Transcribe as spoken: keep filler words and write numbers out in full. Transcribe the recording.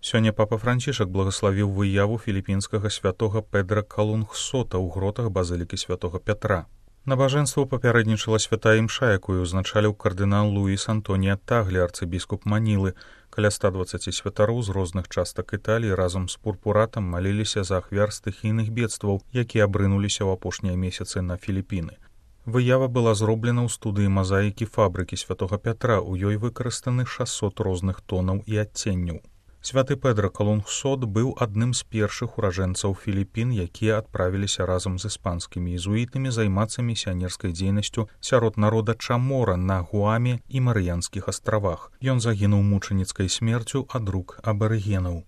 Сёння папа Францішак благаславіў выяву філіпінскага святога Педра Калунгсота ў гротах базылікі святога Пятра. Набажэнству папярэднічала святая імша, якую ўзначаліў кардынал Луіс Антонія Таглі, арцыбіскуп Манілы. Каля ста дваццаці святароў з розных частак Італіі разам з пурпуратам маліліся за ахвяр стыхійных бедстваў, якія абрынуліся ў апошнія месяцы на Філіпіны. Выява была зроблена ў студыі мазаікі фабрыкі святога Пятра, у ёй выкарыстаны шасцьсот розных тонаў і адценняў. Святы Педра Калунгсот быў адным з першых уражэнцаў Філіпін, якія адправіліся разам з іспанскімі езуітамі займацца місіянерскай дзейнасцю сярод народа Чамора на Гуаме і Марыянскіх астравах. Ён загінуў мучаніцкай смерцю ад рук абарыгенаў.